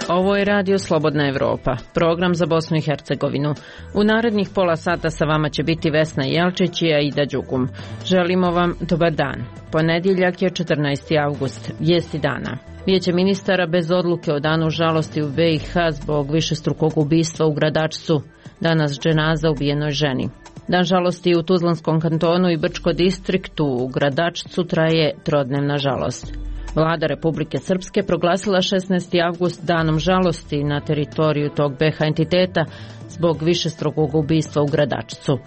Ovo je Radio Slobodna Evropa, program za Bosnu i Hercegovinu. U narednih pola sata sa vama će biti Vesna Jelčić i Aida Đugum. Želimo vam dobar dan. Ponedjeljak je 14. avgust, vijesti dana. Vijeće ministara bez odluke o danu žalosti u BiH zbog višestrukog ubistva u Gradačcu. Danas dženaza ubijenoj ženi. Dan žalosti u Tuzlanskom kantonu i Brčko distriktu u Gradačcu traje trodnevna žalost. Vlada Republike Srpske proglasila 16. avgust danom žalosti na teritoriju tog BiH entiteta zbog višestrukog ubistva u Gradačcu.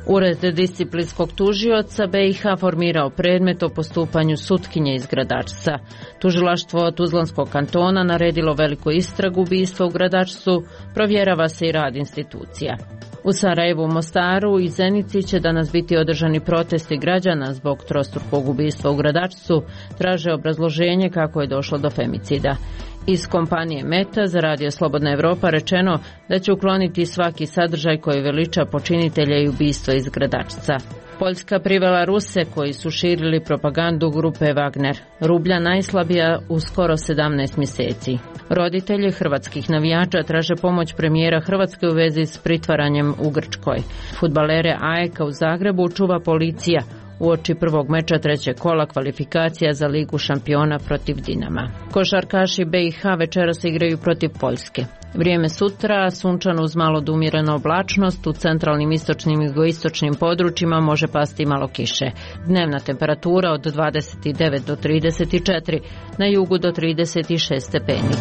Ured disciplinskog tužioca BiH formirao predmet o postupanju sutkinje iz Gradačca. Tužilaštvo Tuzlanskog kantona naredilo veliku istragu ubistva u Gradačcu, provjerava se i rad institucija. U Sarajevu, Mostaru i Zenici će danas biti održani protesti građana zbog trostrukog ubistva u Gradačcu, traže obrazloženje kako je došlo do femicida. Iz kompanije Meta za Radio Slobodna Evropa rečeno da će ukloniti svaki sadržaj koji veliča počinitelja i ubistva iz Gradačca. Poljska privela Ruse koji su širili propagandu grupe Wagner. Rublja najslabija u skoro 17 mjeseci. Roditelji hrvatskih navijača traže pomoć premijera Hrvatske u vezi s pritvaranjem u Grčkoj. Fudbalere AEK-a u Zagrebu čuva policija uoči prvog meča trećeg kola kvalifikacija za Ligu šampiona protiv Dinama. Košarkaši BiH večeras igraju protiv Poljske. Vrijeme sutra, sunčano uz malo do umjerenu oblačnost, u centralnim, istočnim i jugoistočnim područjima može pasti malo kiše. Dnevna temperatura od 29 do 34, na jugu do 36 stepeni.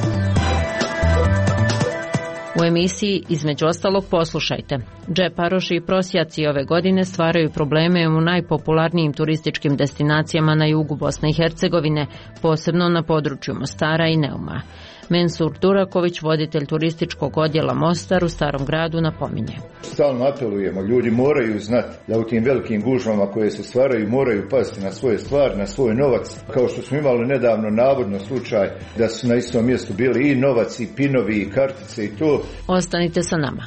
U emisiji između ostalog poslušajte. Džeparoši i prosjaci ove godine stvaraju probleme u najpopularnijim turističkim destinacijama na jugu Bosne i Hercegovine, posebno na području Mostara i Neuma. Mensur Duraković, voditelj turističkog odjela Mostar u Starom gradu, napominje. Stalno apelujemo, ljudi moraju znati da u tim velikim gužvama koje se stvaraju moraju paziti na svoje stvari, na svoj novac. Kao što smo imali nedavno navodno slučaj da su na istom mjestu bili i novac i pinovi i kartice i to. Ostanite sa nama.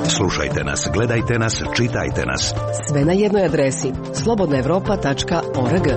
Slušajte nas, gledajte nas, čitajte nas. Sve na jednoj adresi slobodnaevropa.org.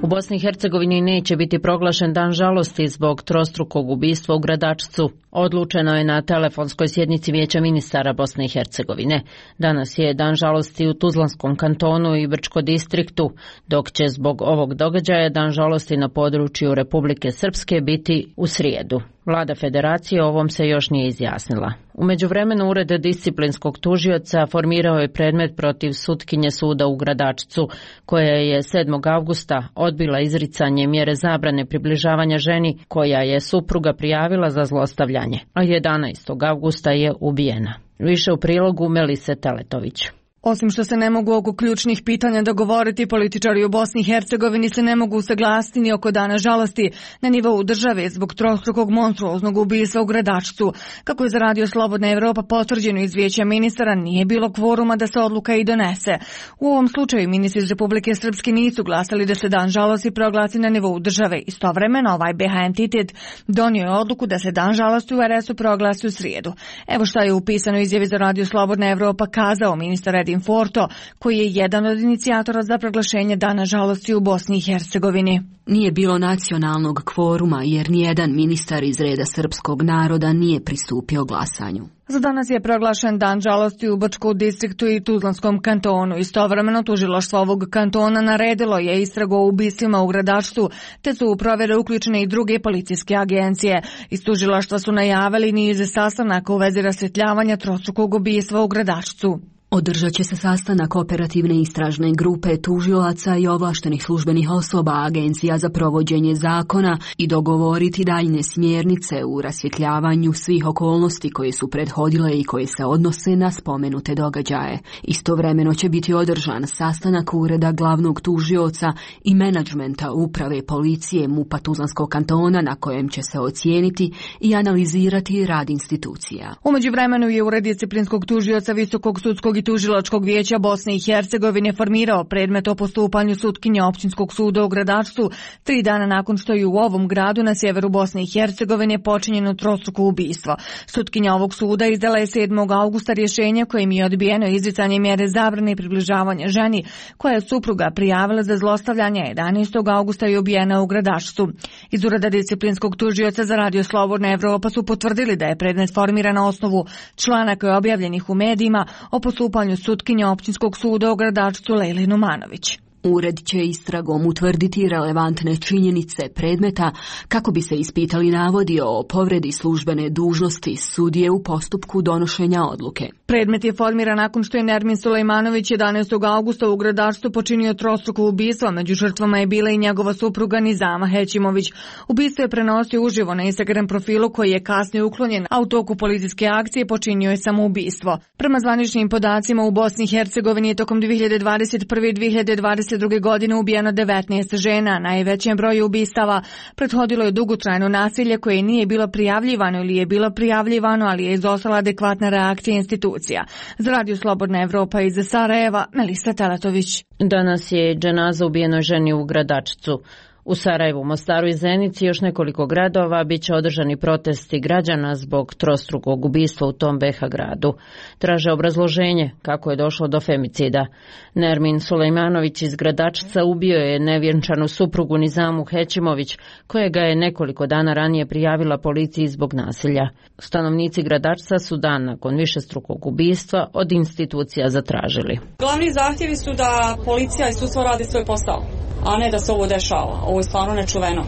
U Bosni i Hercegovini neće biti proglašen dan žalosti zbog trostrukog ubistva u Gradačcu. Odlučeno je na telefonskoj sjednici Vijeća ministara Bosne i Hercegovine. Danas je dan žalosti u Tuzlanskom kantonu i Brčko distriktu, dok će zbog ovog događaja dan žalosti na području Republike Srpske biti u srijedu. Vlada Federacije o ovom se još nije izjasnila. U međuvremenu Ured disciplinskog tužioca formirao je predmet protiv sutkinje suda u Gradačcu, koja je 7. avgusta odbila izricanje mjere zabrane približavanja ženi koja je supruga prijavila za zlostavljanje, a 11. avgusta je ubijena. Više u prilogu Melise Teletović. Osim što se ne mogu oko ključnih pitanja dogovoriti, političari u Bosni i Hercegovini se ne mogu usaglasiti ni oko dana žalosti na nivou države zbog trostrukog monstruoznog ubistva u Gradačcu. Kako je za Radio Slobodna Evropa potvrđeno iz Vijeća ministara, nije bilo kvoruma da se odluka i donese. U ovom slučaju ministri iz Republike Srpske nisu glasali da se dan žalosti proglasi na nivou države. Istovremeno ovaj BiH entitet donio je odluku da se dan žalosti u RS-u proglasi u srijedu. Evo šta je u pisanoj izjavi za Radio Slobodna Evropa kazao ministar Edin Forto, koji je jedan od inicijatora za proglašenje dana žalosti u Bosni i Hercegovini. Nije bilo nacionalnog kvoruma jer nijedan ministar iz reda srpskog naroda nije pristupio glasanju. Za danas je proglašen dan žalosti u Brčkom distriktu i Tuzlanskom kantonu. Istovremeno tužilaštvo ovog kantona naredilo je istragu o ubistvima u Gradačcu, te su u provjere uključene i druge policijske agencije. Iz tužilaštva su najavili niz sastanaka u vezi rasvjetljavanja trostrukog ubistva u Gradačcu. Održat će se sastanak operativne istražne grupe tužilaca i ovlaštenih službenih osoba agencija za provođenje zakona i dogovoriti daljnje smjernice u rasvjetljavanju svih okolnosti koje su prethodile i koje se odnose na spomenute događaje. Istovremeno će biti održan sastanak ureda glavnog tužioca i menadžmenta uprave policije MUP-a Tuzlanskog kantona na kojem će se ocijeniti i analizirati rad institucija. U međuvremenu je ured disciplinskog tužioca Visokog sudskog Visoki tužilačkog vijeća Bosne i Hercegovine formirao predmet o postupanju sutkinje općinskog suda u Gradačcu 3 dana nakon što je u ovom gradu na sjeveru Bosne i Hercegovine počinjeno trostruko ubistvo. Sutkinja ovog suda izdala je 7. augusta rješenje kojim je odbijeno izricanje mjere zabrane i približavanja ženi koja je supruga prijavila za zlostavljanje. 11. augusta je ubijena u Gradačcu. Iz ureda disciplinskog tužioca za Radio Slobodna Evropa su potvrdili da je predmet formiran na osnovu članaka objavljenih u medijima o postupanju sutkinje općinskog suda u Gradačcu Lejli Numanović. Ured će istragom utvrditi relevantne činjenice predmeta kako bi se ispitali navodi o povredi službene dužnosti sudije u postupku donošenja odluke. Predmet je formiran nakon što je Nermin Sulejmanović 11. augusta u Gradačcu počinio trostruko ubistvo. Među žrtvama je bila i njegova supruga Nizama Hećimović. Ubistvo je prenosio uživo na Instagram profilu koji je kasnije uklonjen, a u toku policijske akcije počinio je samoubistvo. Prema zvaničnim podacima u Bosni i Hercegovini je tokom 2021. i 2022. godine ubijeno 19 žena. Najvećem broju ubistava prethodilo je dugotrajno nasilje koje nije bilo prijavljivano ili je bilo prijavljivano, ali je izostala adekvatna reakcija institucija. Za Radio Slobodna Evropa iz Sarajeva, Melisa Teletović. Danas je dženaza ubijenoj ženi u Gradačcu. U Sarajevu, Mostaru i Zenici i još nekoliko gradova bit će održani protesti građana zbog trostrukog ubistva u tom BiH gradu. Traže obrazloženje kako je došlo do femicida. Nermin Sulejmanović iz Gradačca ubio je nevjenčanu suprugu Nizamu Hećimović, kojega je nekoliko dana ranije prijavila policiji zbog nasilja. Stanovnici Gradačca su dan nakon višestrukog ubistva od institucija zatražili. Glavni zahtjevi su da policija i sudstvo radi svoj posao, a ne da se ovo dešava. Ovo je stvarno nečuveno.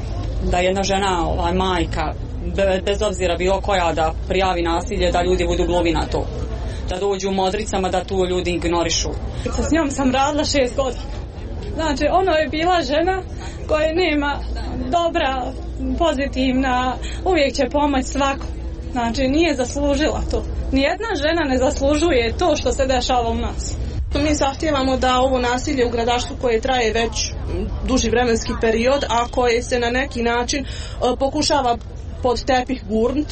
Da jedna žena, majka, bez obzira bilo koja, da prijavi nasilje, da ljudi budu gluvi na to. Da dođu u modricama, da tu ljudi ignorišu. S njom sam radila 6 godina. Znači, ono je bila žena koja nema dobra, pozitivna, uvijek će pomoći svako. Znači, nije zaslužila to. Nijedna žena ne zaslužuje to što se dešava u nas. Mi zahtijevamo da ovo nasilje u Gradačcu koje traje već duži vremenski period, a koje se na neki način pokušava pod tepih gurnut,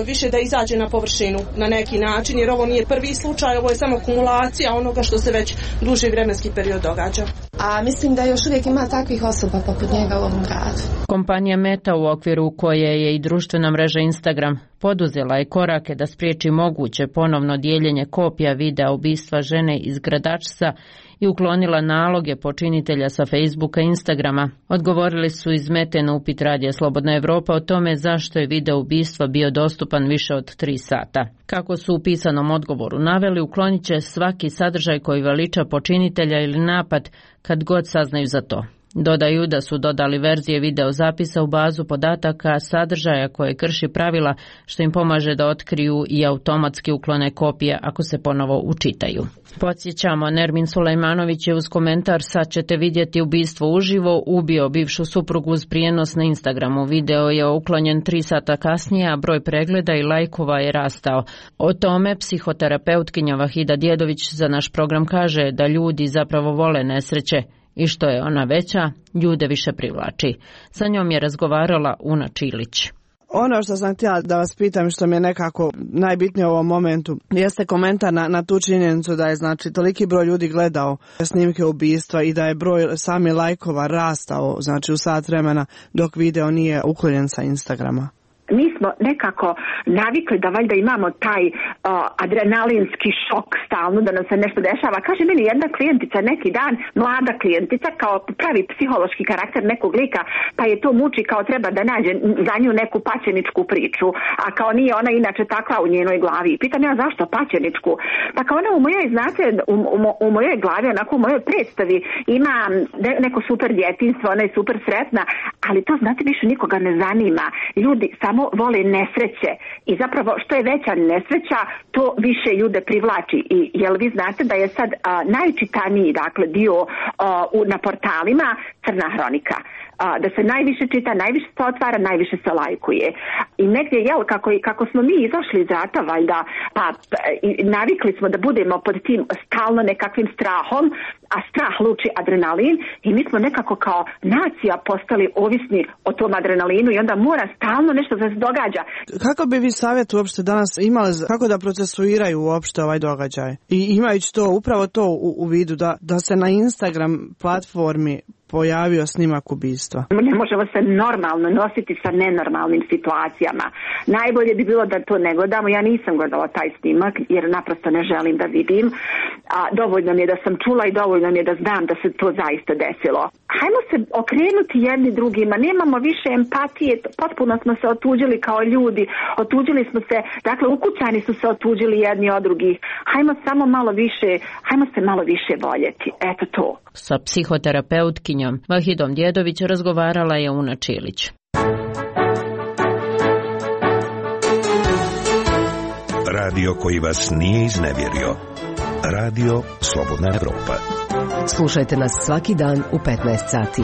više da izađe na površinu na neki način, jer ovo nije prvi slučaj, ovo je samo kumulacija onoga što se već duži vremenski period događa. A mislim da još uvijek ima takvih osoba poput njega u ovom gradu. Kompanija Meta, u okviru koje je i društvena mreža Instagram, poduzela je korake da spriječi moguće ponovno dijeljenje kopija videa ubistva žene iz Gradačca i uklonila naloge počinitelja sa Facebooka i Instagrama. Odgovorili su iz Mete na upit Radija Slobodna Evropa o tome zašto je video ubistva bio dostupan više od 3 sata. Kako su u pisanom odgovoru naveli, uklonit će svaki sadržaj koji veliča počinitelja ili napad kad god saznaju za to. Dodaju da su dodali verzije video zapisa u bazu podataka sadržaja koje krši pravila, što im pomaže da otkriju i automatski uklone kopije ako se ponovo učitaju. Podsjećamo, Nermin Sulejmanović je uz komentar "Sad ćete vidjeti ubistvo uživo" ubio bivšu suprugu uz prijenos na Instagramu. Video je uklonjen 3 sata kasnije, a broj pregleda i lajkova je rastao. O tome psihoterapeutkinja Vahida Djedović za naš program kaže da ljudi zapravo vole nesreće i što je ona veća, ljude više privlači. Sa njom je razgovarala Una Čilić. Ono što sam htjela da vas pitam, što mi je nekako najbitnije u ovom momentu, jeste komentar na tu činjenicu da je znači toliki broj ljudi gledao snimke ubistva i da je broj sami lajkova rastao znači u sat vremena dok video nije uklonjen sa Instagrama. Mi smo nekako navikli da valjda imamo taj adrenalinski šok stalno da nam se nešto dešava. Kaže meni jedna klijentica neki dan, mlada klijentica, kao pravi psihološki karakter nekog lika, pa je to muči kao treba da nađe za nju neku paćeničku priču, a kao nije ona inače takva u njenoj glavi. Pitam ja zašto paćeničku? Pa kao ona u mojoj, znate, u mojoj glavi, onako u mojoj predstavi ima neko super djetinjstvo, ona je super sretna, ali to znate više nikoga ne zanima. Ljudi samo vole nesreće i zapravo što je veća nesreća, to više ljude privlači. I jel vi znate da je sad najčitaniji dakle dio na portalima Crna hronika. da se najviše čita, najviše se otvara, najviše se lajkuje. I negdje, kako smo mi izašli iz rata, valjda, navikli smo da budemo pod tim stalno nekakvim strahom, a strah luči adrenalin i mi smo nekako kao nacija postali ovisni o tom adrenalinu i onda mora stalno nešto da se događa. Kako bi vi savjet uopšte danas imali, kako da procesuiraju uopšte ovaj događaj? I imajući to, upravo to u vidu, da se na Instagram platformi pojavio snimak ubistva. Ne možemo se normalno nositi sa nenormalnim situacijama. Najbolje bi bilo da to ne gledamo. Ja nisam gledala taj snimak jer naprosto ne želim da vidim. Dovoljno mi je da sam čula i dovoljno mi je da znam da se to zaista desilo. Hajmo se okrenuti jedni drugima. Nemamo više empatije. Potpuno smo se otuđili kao ljudi. Otuđili smo se, dakle ukućani su se otuđili jedni od drugih. Hajmo se malo više voljeti. Eto to. Sa psihoterapeutkinjom Vahidom Djedović razgovarala je Una Čilić. Radio koji vas nije iznevjerio. Radio Slobodna Evropa. Slušajte nas svaki dan u 15 sati.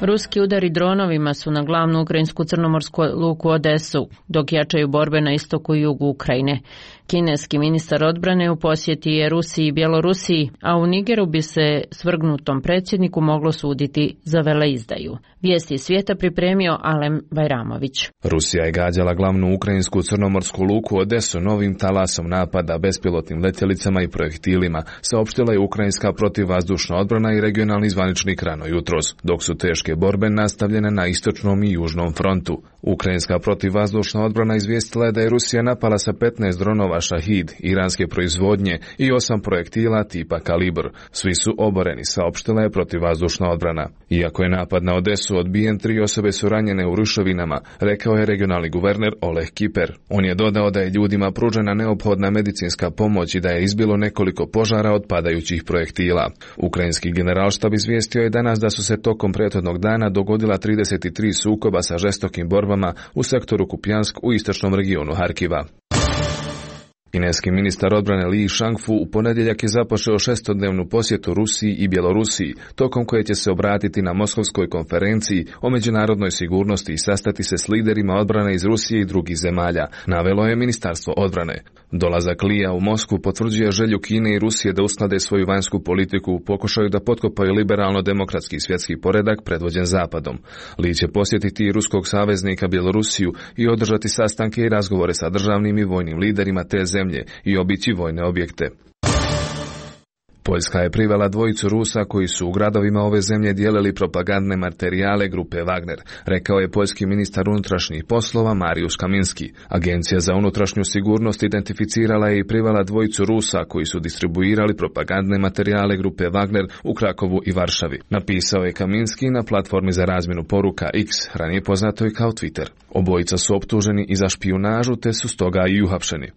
Ruski udari dronovima su na glavnu ukrajinsku crnomorsku luku Odesu, dok jačaju borbe na istoku i jugu Ukrajine. Kineski ministar odbrane u posjeti je Rusiji i Bjelorusiji, a u Nigeru bi se svrgnutom predsjedniku moglo suditi za veleizdaju. Vijesti svijeta pripremio Alem Bajramović. Rusija je gađala glavnu ukrajinsku crnomorsku luku Odesu novim talasom napada bespilotnim letjelicama i projektilima, saopštila je ukrajinska protivvazdušna odbrana i regionalni zvaničnik rano jutros, dok su teške borbe nastavljene na istočnom i južnom frontu. Ukrajinska protivvazdušna odbrana izvijestila je da je Rusija napala sa 15 dronova Šahid, iranske proizvodnje i 8 projektila tipa Kalibr. Svi su oboreni, saopštila je protivvazdušna odbrana. Iako je napad na Odesu odbijen, 3 osobe su ranjene u ruševinama, rekao je regionalni guverner Oleg Kiper. On je dodao da je ljudima pružena neophodna medicinska pomoć i da je izbilo nekoliko požara od padajućih projektila. Ukrajinski generalštab izvijestio je danas da su se tokom prethodnog dana dogodila 33 sukoba sa žestokim borbama u sektoru Kupjansk u istočnom regionu Harkiva. Kineski ministar odbrane Li Shangfu u ponedjeljak je započeo 6-dnevnu posjetu Rusiji i Bjelorusiji, tokom koje će se obratiti na Moskovskoj konferenciji o međunarodnoj sigurnosti i sastati se s liderima odbrane iz Rusije i drugih zemalja, navelo je Ministarstvo odbrane. Dolazak Lija u Moskvu potvrđuje želju Kine i Rusije da usklade svoju vanjsku politiku u pokušaju da potkopaju liberalno-demokratski svjetski poredak predvođen Zapadom. Li će posjetiti i ruskog saveznika Bjelorusiju i održati sastanke i razgovore sa državnim i vojnim liderima te zemlje i obići vojne objekte. Poljska je privela 2 Rusa koji su u gradovima ove zemlje dijelili propagandne materijale grupe Wagner, rekao je poljski ministar unutrašnjih poslova Mariusz Kaminski. Agencija za unutrašnju sigurnost identificirala je i privela 2 Rusa koji su distribuirali propagandne materijale grupe Wagner u Krakovu i Varšavi, napisao je Kaminski na platformi za razmjenu poruka X, ranije poznatoj kao Twitter. Obojica su optuženi i za špijunažu te su stoga i uhapšeni.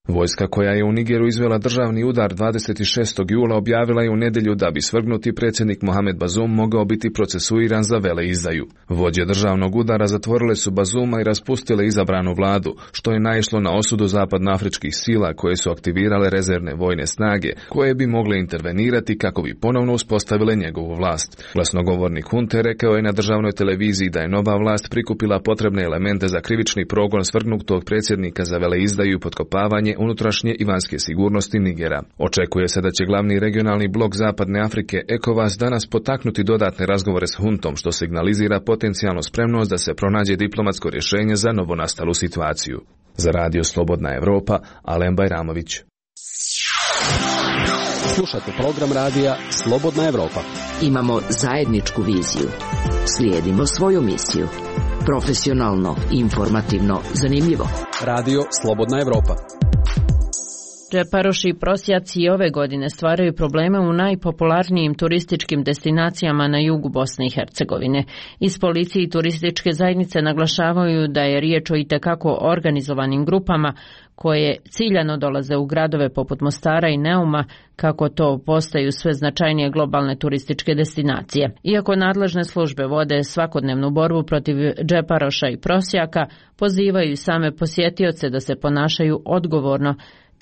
Vojska koja je u Nigeru izvela državni udar 26. jula objavila je u nedjelju da bi svrgnuti predsjednik Mohamed Bazoum mogao biti procesuiran za veleizdaju. Vođe državnog udara zatvorile su Bazouma i raspustile izabranu vladu, što je naišlo na osudu zapadnoafričkih sila koje su aktivirale rezervne vojne snage, koje bi mogle intervenirati kako bi ponovno uspostavile njegovu vlast. Glasnogovornik hunte rekao je na državnoj televiziji da je nova vlast prikupila potrebne elemente za krivični progon svrgnutog predsjednika za veleizdaju i potkopavanje unutrašnje i vanjske sigurnosti Nigera. Očekuje se da će glavni regionalni blok Zapadne Afrike ECOWAS danas potaknuti dodatne razgovore s huntom, što signalizira potencijalnu spremnost da se pronađe diplomatsko rješenje za novonastalu situaciju. Za Radio Slobodna Evropa, Alem Bajramović. Slušajte program radija Slobodna Evropa. Imamo zajedničku viziju. Slijedimo svoju misiju. Profesionalno, informativno, zanimljivo. Radio Slobodna Evropa. Džeparoši i prosjaci i ove godine stvaraju probleme u najpopularnijim turističkim destinacijama na jugu Bosne i Hercegovine. Iz policije i turističke zajednice naglašavaju da je riječ o itekako organizovanim grupama koje ciljano dolaze u gradove poput Mostara i Neuma, kako to postaju sve značajnije globalne turističke destinacije. Iako nadležne službe vode svakodnevnu borbu protiv džeparoša i prosjaka, pozivaju same posjetioce da se ponašaju odgovorno,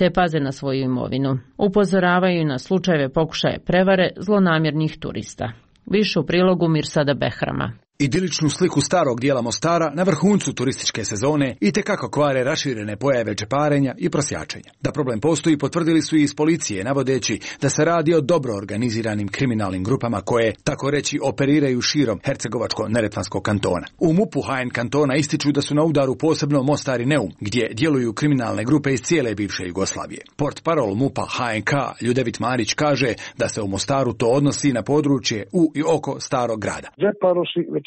te paze na svoju imovinu. Upozoravaju na slučajeve pokušaje prevare zlonamjernih turista. Više u prilogu Mirsada Behrama. Idiličnu sliku starog dijela Mostara na vrhuncu turističke sezone itekako kvare raširene pojave džeparenja i prosjačenja. Da problem postoji potvrdili su i iz policije, navodeći da se radi o dobro organiziranim kriminalnim grupama koje, tako reći, operiraju širom Hercegovačko-Neretvanskog kantona. U MUP-u HN kantona ističu da su na udaru posebno Mostar i Neum, gdje djeluju kriminalne grupe iz cijele bivše Jugoslavije. Portparol MUP-a HNK Ljudevit Marić kaže da se u Mostaru to odnosi na područje u i oko starog grada.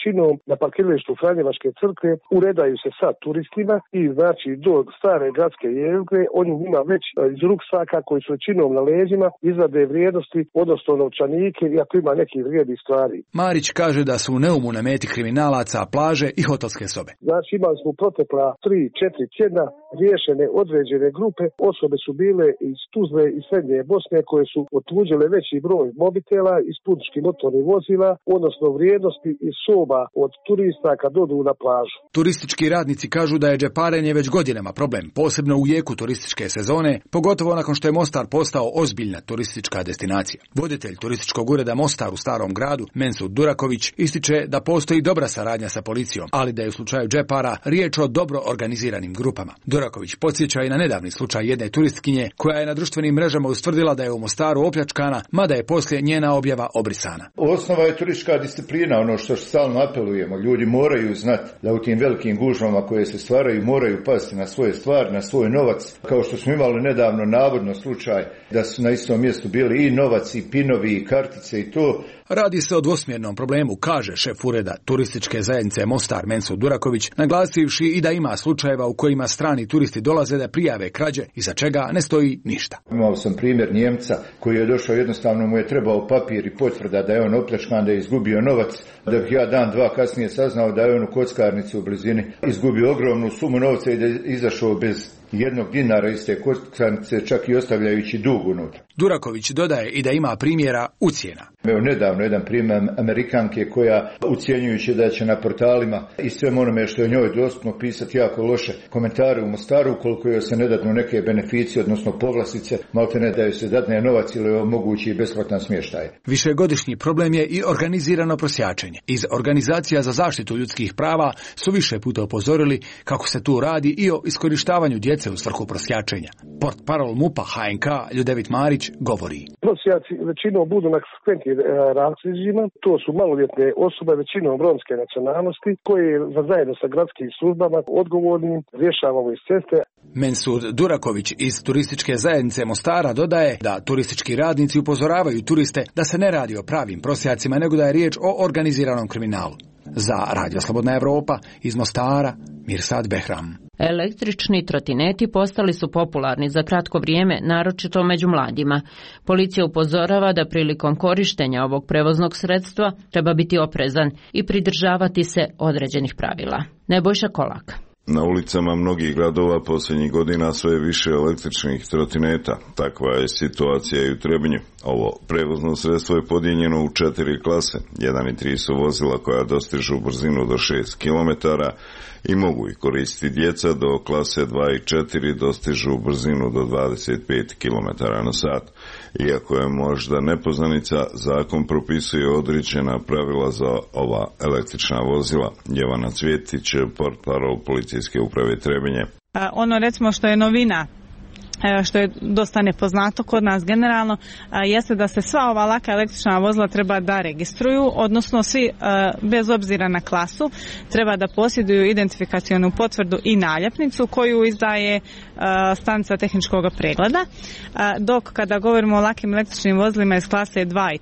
Većinom na parkiralištu Franjevačke crkve uredaju se sa turistima i znači do stare gradske jezgre oni njima već iz ruksaka koji su većinom na leđima izvade vrijednosti, odnosno novčanike i ako ima nekih vrijednih stvari. Marić kaže da su u Neumu na meti kriminalaca plaže i hotelske sobe. Znači imali smo protekla 3-4 tjedna riješene određene grupe, osobe su bile iz Tuzle i Srednje Bosne koje su otuđile veći broj mobitela iz putničkih motornih vozila, odnosno vrijednosti iz soba od turista kad dodu na plažu. Turistički radnici kažu da je džeparenje već godinama problem, posebno u jeku turističke sezone, pogotovo nakon što je Mostar postao ozbiljna turistička destinacija. Voditelj turističkog ureda Mostar u starom gradu, Mensud Duraković, ističe da postoji dobra saradnja sa policijom, ali da je u slučaju džepara riječ o dobro organiziranim grupama. Duraković podsjeća i na nedavni slučaj jedne turistkinje koja je na društvenim mrežama ustvrdila da je u Mostaru opljačkana, mada je poslije njena objava obrisana. Osnova je turistička disciplina, ono što stalno apelujemo. Ljudi moraju znati da u tim velikim gužvama koje se stvaraju moraju pasti na svoje stvari, na svoj novac. Kao što smo imali nedavno navodno slučaj da su na istom mjestu bili i novac i pinovi i kartice i to. Radi se o dvosmjernom problemu, kaže šef ureda turističke zajednice Mostar Mensud Duraković, naglasivši i da ima slučajeva u kojima strani turisti dolaze da prijave krađe i za čega ne stoji ništa. Imao sam primjer Njemca koji je došao, jednostavno mu je trebao papir i potvrda da je on opljačkan, da je izgubio novac, da bih ja dan, dva kasnije saznao da je on u kockarnici u blizini izgubio ogromnu sumu novca i da je izašao bez jednog dinara iz te kockarnice, čak i ostavljajući dug unutra. Duraković dodaje i da ima primjera ucjena. Evo nedavno jedan primjer Amerikanke koja ucjenjujući da će na portalima i svem onome što je njoj dostupno pisati jako loše komentare u Mostaru, ukoliko joj se ne dadnu neke beneficije, odnosno povlastice, malte ne da joj se dadne novac ili omogući besplatan smještaj. Višegodišnji problem je i organizirano prosjačenje. Iz organizacija za zaštitu ljudskih prava su više puta upozorili kako se tu radi i o iskorištavanju djece u svrhu prosjačenja. Portparol MUP-a HNK Ljudevit Marić govori. Prosjaci većinom budu na skventnim razlozima, to su maloljetne osobe većinom romske nacionalnosti koje zajedno sa gradskim službama odgovornim rješavamo iz ceste. Mensud Duraković iz turističke zajednice Mostara dodaje da turistički radnici upozoravaju turiste da se ne radi o pravim prosjacima, nego da je riječ o organiziranom kriminalu. Za Radio Slobodna Evropa iz Mostara, Mirsad Behram. Električni trotineti postali su popularni za kratko vrijeme, naročito među mladima. Policija upozorava da prilikom korištenja ovog prevoznog sredstva treba biti oprezan i pridržavati se određenih pravila. Nebojša Kolak. Na ulicama mnogih gradova posljednjih godina sve više električnih trotineta. Takva je situacija i u Trebinju. Ovo prevozno sredstvo je podijeljeno u 4 klase. 1 i 3 su vozila koja dostižu brzinu do 6 km i mogu ih koristiti djeca, do klase 2 i 4 dostižu brzinu do 25 km na sat. Iako je možda nepoznanica, zakon propisuje određena pravila za ova električna vozila. Jevana Cvjetić, portparol policijske uprave Trebinje. Ono recimo što je novina, što je dosta nepoznato kod nas generalno, jeste da se sva ova laka električna vozila treba da registruju, odnosno svi bez obzira na klasu treba da posjeduju identifikacionu potvrdu i naljepnicu koju izdaje stanica tehničkog pregleda, dok kada govorimo o lakim električnim vozilima iz klase 2 i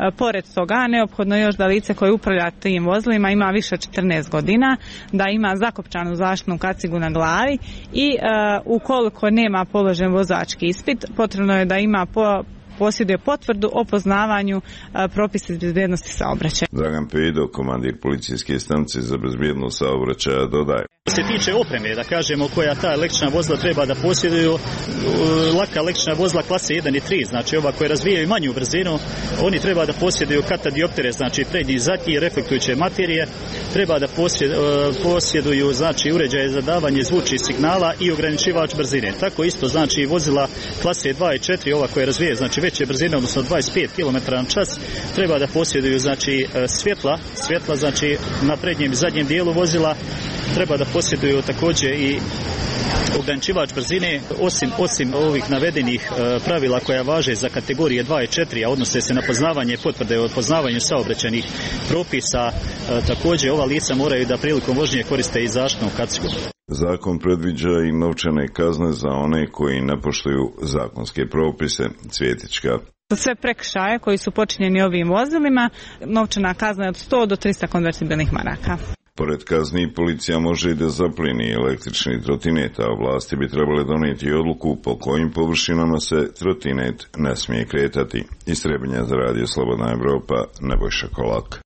4, pored toga neophodno još da lice koje upravlja tim vozilima ima više od 14 godina, da ima zakopčanu zaštitnu kacigu na glavi i ukoliko nema položen vozački ispit, potrebno je da ima posjeduje potvrdu o poznavanju propisa bezbjednosti saobraćaja. Dragan Pedo, komandir policijske stanice za bezbjednost saobraćaja, dodaje. Što se tiče opreme, da kažemo, koja ta električna vozila treba da posjeduju, laka električna vozila klase 1 i 3, znači ova koja razvijaju manju brzinu, oni treba da posjeduju katadioptere, znači prednji i zadnji, reflektujuće materije, treba da posjeduju znači uređaje za davanje zvučnih signala i ograničivač brzine. Tako isto znači vozila klase 2 i 4, ova koja razvije znači veće brzine, odnosno 25 km/h, treba da posjeduju znači svjetla znači na prednjem i zadnjem dijelu vozila, treba da posjeduju također i ograničivač brzine, osim ovih navedenih pravila koja važe za kategorije 2 i 4, a odnose se na poznavanje potvrde o poznavanju saobraćajnih propisa, također ova lica moraju da prilikom vožnje koriste i zaštitnu kacku. Zakon predviđa i novčane kazne za one koji ne poštuju zakonske propise. Cvjetička. Za sve prekršaje koji su počinjeni ovim vozilima, novčana kazna je od 100 do 300 konvertibilnih maraka. Pored kazni, policija može i da zaplijeni električni trotinet, a vlasti bi trebale donijeti odluku po kojim površinama se trotinet ne smije kretati. Iz Trebinja za Radio Slobodna Evropa, Nebojša Kolak.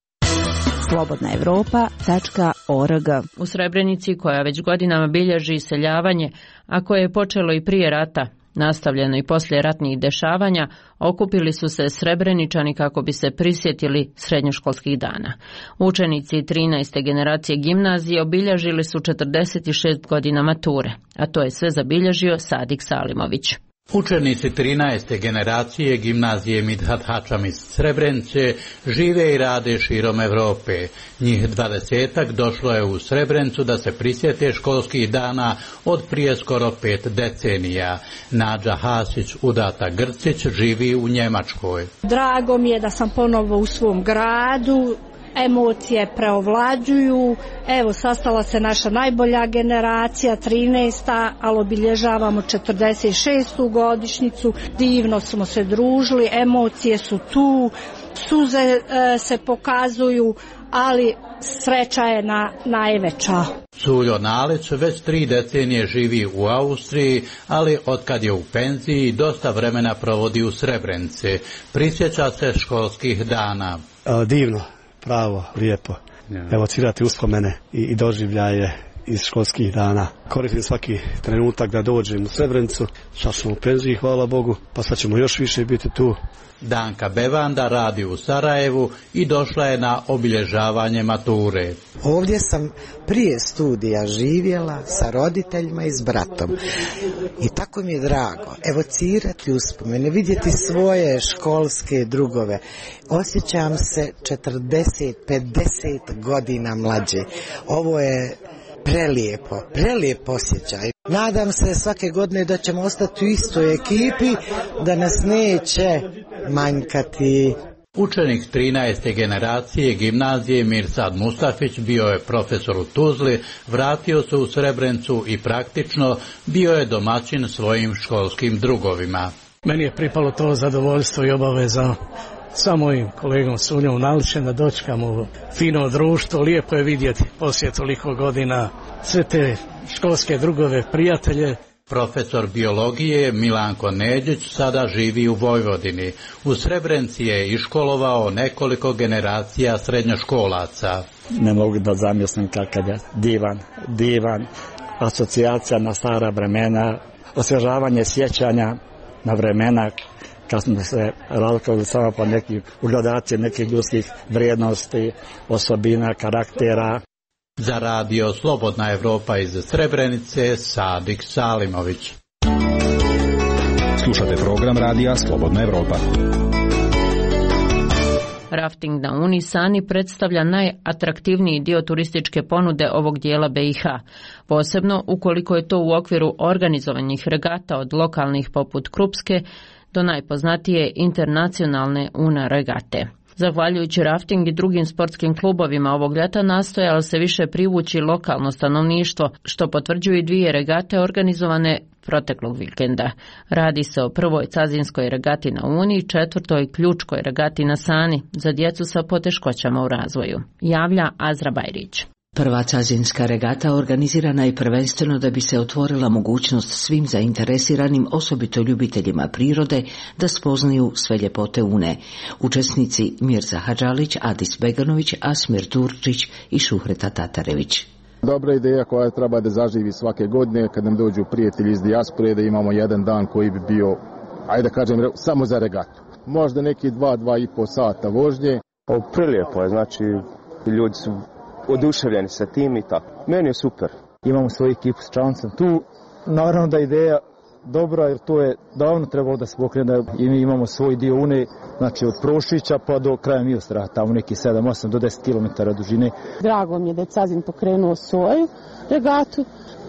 slobodnaevropa.org. U Srebrenici, koja već godinama bilježi iseljavanje, a koje je počelo i prije rata, nastavljeno i poslije ratnih dešavanja, okupili su se Srebreničani kako bi se prisjetili srednjoškolskih dana. Učenici 13. generacije gimnazije obilježili su 46 godina mature, a to je sve zabilježio Sadik Salimović. Učenici 13. generacije gimnazije Midhat Hačam iz Srebrenice žive i rade širom Evrope. Njih 20-ak došlo je u Srebrenicu da se prisjete školskih dana od prije skoro 5 decenija. Nađa Hasić, udata Grcić, živi u Njemačkoj. Drago mi je da sam ponovo u svom gradu. Emocije preovlađuju, evo sastala se naša najbolja generacija, 13. ali obilježavamo 46. godišnjicu, divno smo se družili, emocije su tu, suze se pokazuju, ali sreća je najveća. Suljo Nalić već 3 decenije živi u Austriji, ali otkad je u penziji dosta vremena provodi u Srebrenici. Prisjeća se školskih dana. Divno. Pravo, lijepo. Evocirati uspomene i doživljaje iz školskih dana. Koristim svaki trenutak da dođem u Srebrenicu. Sad smo u penziji, hvala Bogu, pa sad ćemo još više biti tu. Danka Bevanda radi u Sarajevu i došla je na obilježavanje mature. Ovdje sam prije studija živjela sa roditeljima i s bratom. I tako mi je drago evocirati uspomene, vidjeti svoje školske drugove. Osjećam se 40-50 godina mlađe. Ovo je prelijep osjećaj. Nadam se svake godine da ćemo ostati u istoj ekipi, da nas neće manjkati. Učenik 13. generacije gimnazije Mirsad Mustafić bio je profesor u Tuzli, vratio se u Srebrenicu i praktično bio je domaćin svojim školskim drugovima. Meni je pripalo to zadovoljstvo i obaveza sa mojim kolegom Suljom Nalićem da dočekamo fino društvo. Lijepo je vidjeti poslije toliko godina sve te školske drugove, prijatelje. Profesor biologije Milanko Neđić sada živi u Vojvodini. U Srebrenici je iškolovao nekoliko generacija srednjoškolaca. Ne mogu da zamislim kakav je divan asocijacija na stara vremena, osvježavanje sjećanja na vremena kad smo se razlikovali samo po nekim ugradaciji nekih ljudskih vrijednosti, osobina, karaktera. Za Radio Slobodna Evropa iz Srebrenice, Sadik Salimović. Slušate program Radija Slobodna Evropa. Rafting na Uni Sani predstavlja najatraktivniji dio turističke ponude ovog dijela BiH, posebno ukoliko je to u okviru organizovanih regata od lokalnih poput Krupske do najpoznatije internacionalne Una regate. Zahvaljujući rafting i drugim sportskim klubovima ovog ljeta nastojalo se više privući lokalno stanovništvo, što potvrđuju i 2 regate organizovane proteklog vikenda. Radi se o prvoj cazinskoj regati na Uni i 4. ključkoj regati na Sani za djecu sa poteškoćama u razvoju. Javlja Azra Bajrić. Prva cazinska regata organizirana je prvenstveno da bi se otvorila mogućnost svim zainteresiranim, osobito ljubiteljima prirode, da spoznaju sve ljepote Une. Učesnici Mirza Hadžalić, Adis Beganović, Asmir Turčić i Šuhreta Tatarević. Dobra ideja koja treba da zaživi svake godine kad nam dođu prijatelji iz dijaspore, da imamo jedan dan koji bi bio, ajde da kažem, samo za regatu. Možda neki 2,5 sata vožnje. Prilijepo je, znači ljudi su oduševljeni sa tim i tako. Meni je super. Imamo svoju ekipu s čamcem tu. Naravno da je ideja dobra jer to je davno trebalo da se pokrene i mi imamo svoj dio Une, znači od Prošića pa do kraja Milostra, tamo neki 7-8 do 10 km dužine. Drago mi je da je Cazin pokrenuo svoju regatu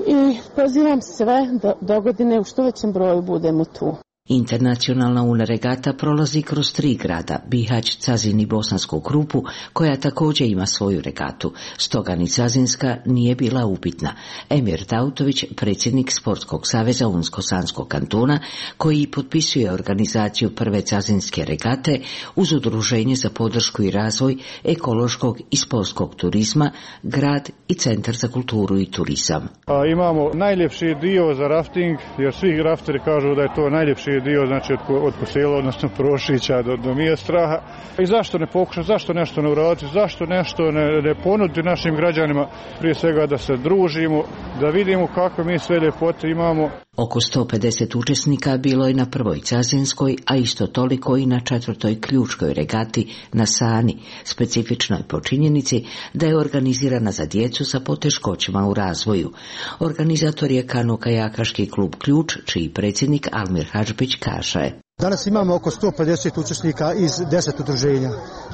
i pozivam sve da dogodine u što većem broju budemo tu. Internacionalna Una regata prolazi kroz 3 grada, Bihać, Cazin i Bosansku Krupu, koja također ima svoju regatu. Stoga ni cazinska nije bila upitna. Emir Tautović, predsjednik Sportskog saveza Unsko-Sanskog kantona, koji potpisuje organizaciju prve cazinske regate uz Udruženje za podršku i razvoj ekološkog i sportskog turizma, grad i Centar za kulturu i turizam. Imamo najljepši dio za rafting, jer svi rafteri kažu da je to najljepši dio, znači od Kosela, odnosno Prošića do Mijestraha. I zašto ne pokušati, zašto nešto ne uraditi, zašto nešto ne ponuditi našim građanima, prije svega da se družimo, da vidimo kako mi sve ljepote imamo. Oko 150 učesnika bilo je na prvoj cazinskoj, a isto toliko i na 4. ključkoj regati na Sani, specifičnoj po činjenici da je organizirana za djecu sa poteškoćama u razvoju. Organizator je Kano-kajakaški klub Ključ, čiji predsjednik Almir Hadžbić kaže. Danas imamo oko 150 učesnika iz 10 udruženja.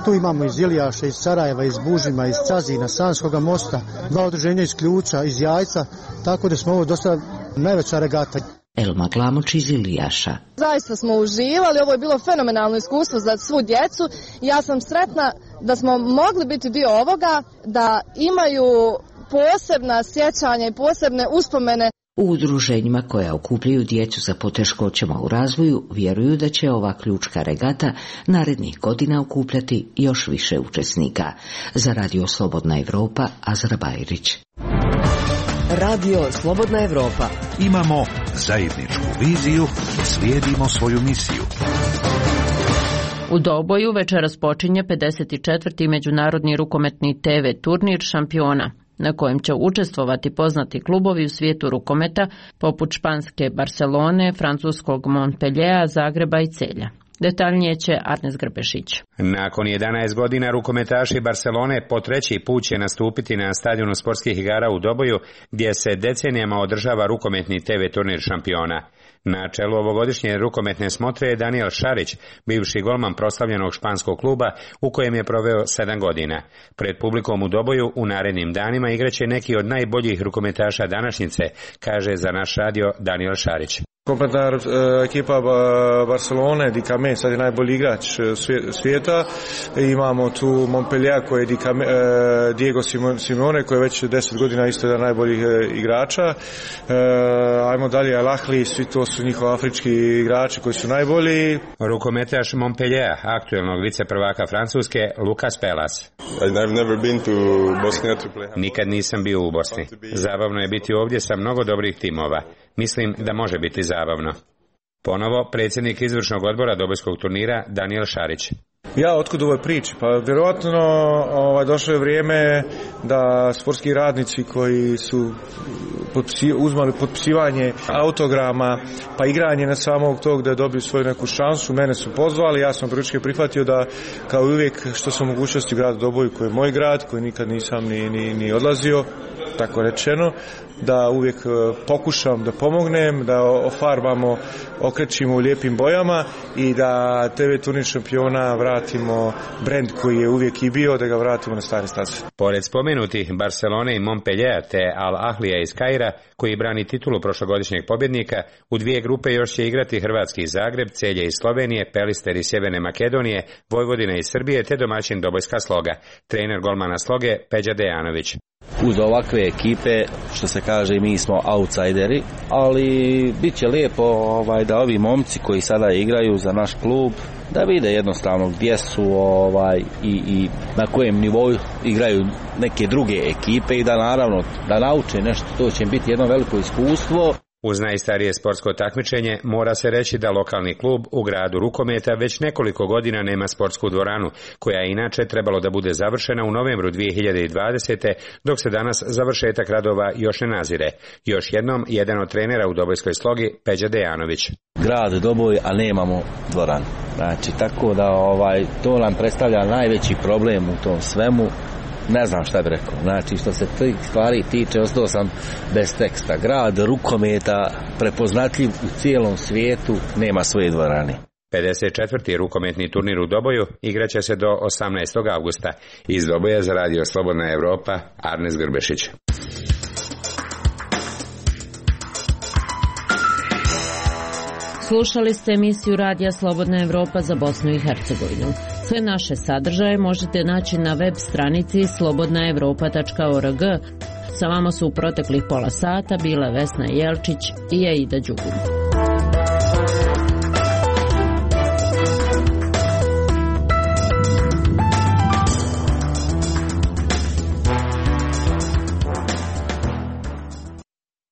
Tu imamo iz Ilijaša, iz Sarajeva, iz Bužima, iz Cazina, Sanskoga mosta, 2 udruženja iz Ključa, iz Jajca, tako da smo ovo dosta najveća regata. Elma Glamoć iz Ilijaša. Zaista smo uživali, ovo je bilo fenomenalno iskustvo za svu djecu. Ja sam sretna da smo mogli biti dio ovoga, da imaju posebna sjećanja i posebne uspomene. U udruženjima koja okupljaju djecu sa poteškoćama u razvoju vjeruju da će ova ključka regata narednih godina okupljati još više učesnika. Za Radio Slobodna Evropa, Azra Bajrić. Radio Slobodna Evropa. Imamo zajedničku viziju, slijedimo svoju misiju. U Doboju večeras počinje 54. međunarodni rukometni TV turnir šampiona, na kojem će učestvovati poznati klubovi u svijetu rukometa, poput španske Barcelone, francuskog Montpelliera, Zagreba i Celja. Detaljnije će Arnes Grbešić. Nakon 11 godina rukometaši Barcelone po 3. put će nastupiti na stadionu sportskih igara u Doboju, gdje se decenijama održava rukometni TV turnir šampiona. Na čelu ovogodišnje rukometne smotre je Daniel Šarić, bivši golman proslavljenog španskog kluba u kojem je proveo 7 godina. Pred publikom u Doboju u narednim danima igraće neki od najboljih rukometaša današnjice, kaže za naš radio Daniel Šarić. Kompletna ekipa Barcelone, Dicame, sad je najbolji igrač svijeta. Imamo tu Montpellier koji je Diego Simeone koji je već 10 godina isto jedan najboljih igrača. Ajmo dalje, Al Ahly, svi to su njihovi afrički igrači koji su najbolji. Rukometaš Montpellier, aktuelnog viceprvaka Francuske, Lucas Pelas. Nikad nisam bio u Bosni. Zabavno je biti ovdje sa mnogo dobrih timova. Mislim da može biti zabavno. Ponovo predsjednik izvršnog odbora Dobojskog turnira Daniel Šarić. Ja, otkud ovoj priči? Pa vjerojatno došlo je vrijeme da sportski radnici koji su uzmali potpisivanje autograma pa igranje na samog tog da dobiju svoju neku šansu, mene su pozvali, ja sam prihvatio da kao uvijek što sam mogućnosti u gradu Doboju koji je moj grad, koji nikad nisam ni odlazio, tako rečeno, da uvijek pokušam da pomognem, da ofarbamo, okrećimo u lijepim bojama i da TV turnir šampiona vratimo brend koji je uvijek i bio, da ga vratimo na stare staze. Pored spomenutih Barcelone i Montpellier te Al Ahlija iz Kaira, koji brani titulu prošlogodišnjeg pobjednika, u 2 grupe još će igrati hrvatski Zagreb, Celje iz Slovenije, Pelister iz Sjeverne Makedonije, Vojvodina iz Srbije te domaćin Dobojska Sloga. Trener golmana Sloge Peđa Dejanović. Uz ovakve ekipe, što se kaže, mi smo outsideri, ali bit će lijepo da ovi momci koji sada igraju za naš klub, da vide jednostavno gdje su i na kojem nivou igraju neke druge ekipe i da naravno da nauče nešto, to će biti jedno veliko iskustvo. Uz najstarije sportsko takmičenje mora se reći da lokalni klub u gradu rukometa već nekoliko godina nema sportsku dvoranu, koja je inače trebalo da bude završena u novembru 2020. dok se danas završetak radova još ne nazire. Još jednom, jedan od trenera u Dobojskoj Slogi, Peđa Dejanović. Grad Doboj, a nemamo dvoranu. Znači, tako da to nam predstavlja najveći problem u tom svemu. Ne znam šta bih rekao. Znači, što se tih stvari tiče, ostao sam bez teksta. Grad rukometa, prepoznatljiv u cijelom svijetu, nema svoje dvorane. 54. rukometni turnir u Doboju igraće se do 18. avgusta. Iz Doboja za Radio Slobodna Evropa, Arnes Grbešić. Slušali ste emisiju Radija Slobodna Evropa za Bosnu i Hercegovinu. Sve naše sadržaje možete naći na web stranici slobodnaevropa.org. Sa vama su u proteklih pola sata bile Vesna Jelčić i Aida Đugum.